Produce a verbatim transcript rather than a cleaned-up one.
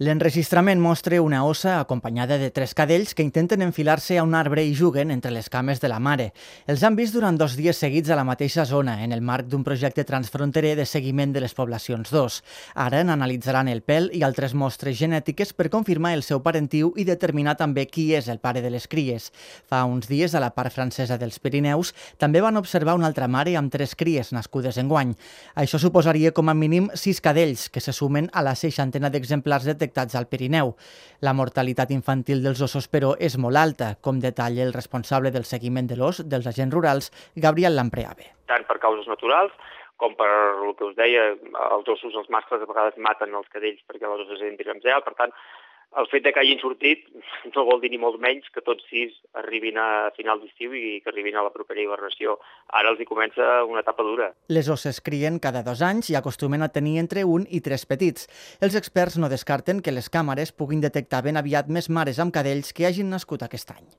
L'enregistrament mostra una ossa acompanyada de tres cadells que intenten enfilar-se a un arbre i juguen entre les cames de la mare. Els han vist durant dos dies seguits a la mateixa zona, en el marc d'un projecte transfronterer de seguiment de les poblacions dos. Ara n'analitzaran el pèl i altres mostres genètiques per confirmar el seu parentiu i determinar també qui és el pare de les cries. Fa uns dies, a la part francesa dels Pirineus, també van observar una altra mare amb tres cries nascudes enguany. Això suposaria com a mínim sis cadells, que se sumen a la seixantena d'exemplars detectats al Pirineu. La mortalitat infantil dels ossos, però, és molt alta, com detalla el responsable del seguiment de l'os dels agents rurals, Gabriel Lampreave. Tant per causes naturals, com per el que us deia, els ossos, els mascles, a vegades maten els cadells perquè les osses entrin en zel. Per tant, el fet que hagin sortit no vol dir ni molt menys que tots sis arribin a final d'estiu i que arribin a la propera hibernació. Ara els hi comença una etapa dura. Les osses crien cada dos anys i acostumen a tenir entre un i tres petits. Els experts no descarten que les càmeres puguin detectar ben aviat més mares amb cadells que hagin nascut aquest any.